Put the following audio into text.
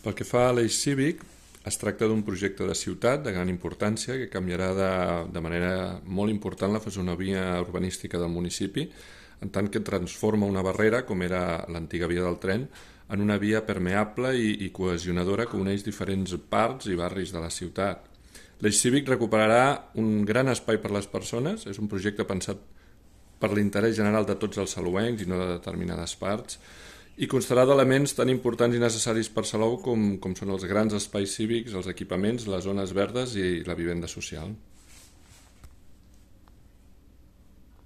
Pel que fa a l'eix cívic, es tracta d'un projecte de ciutat de gran importància que canviarà de manera molt important la fesomia urbanística del municipi, en tant que transforma una barrera, com era l'antiga via del tren, en una via permeable i cohesionadora que uneix diferents parts i barris de la ciutat. L'eix cívic recuperarà un gran espai per a les persones, és un projecte pensat per l'interès general de tots els salouencs i no de determinades parts, i constarà d'elements tan importants i necessaris per Salou com són els grans espais cívics, els equipaments, les zones verdes i la vivenda social.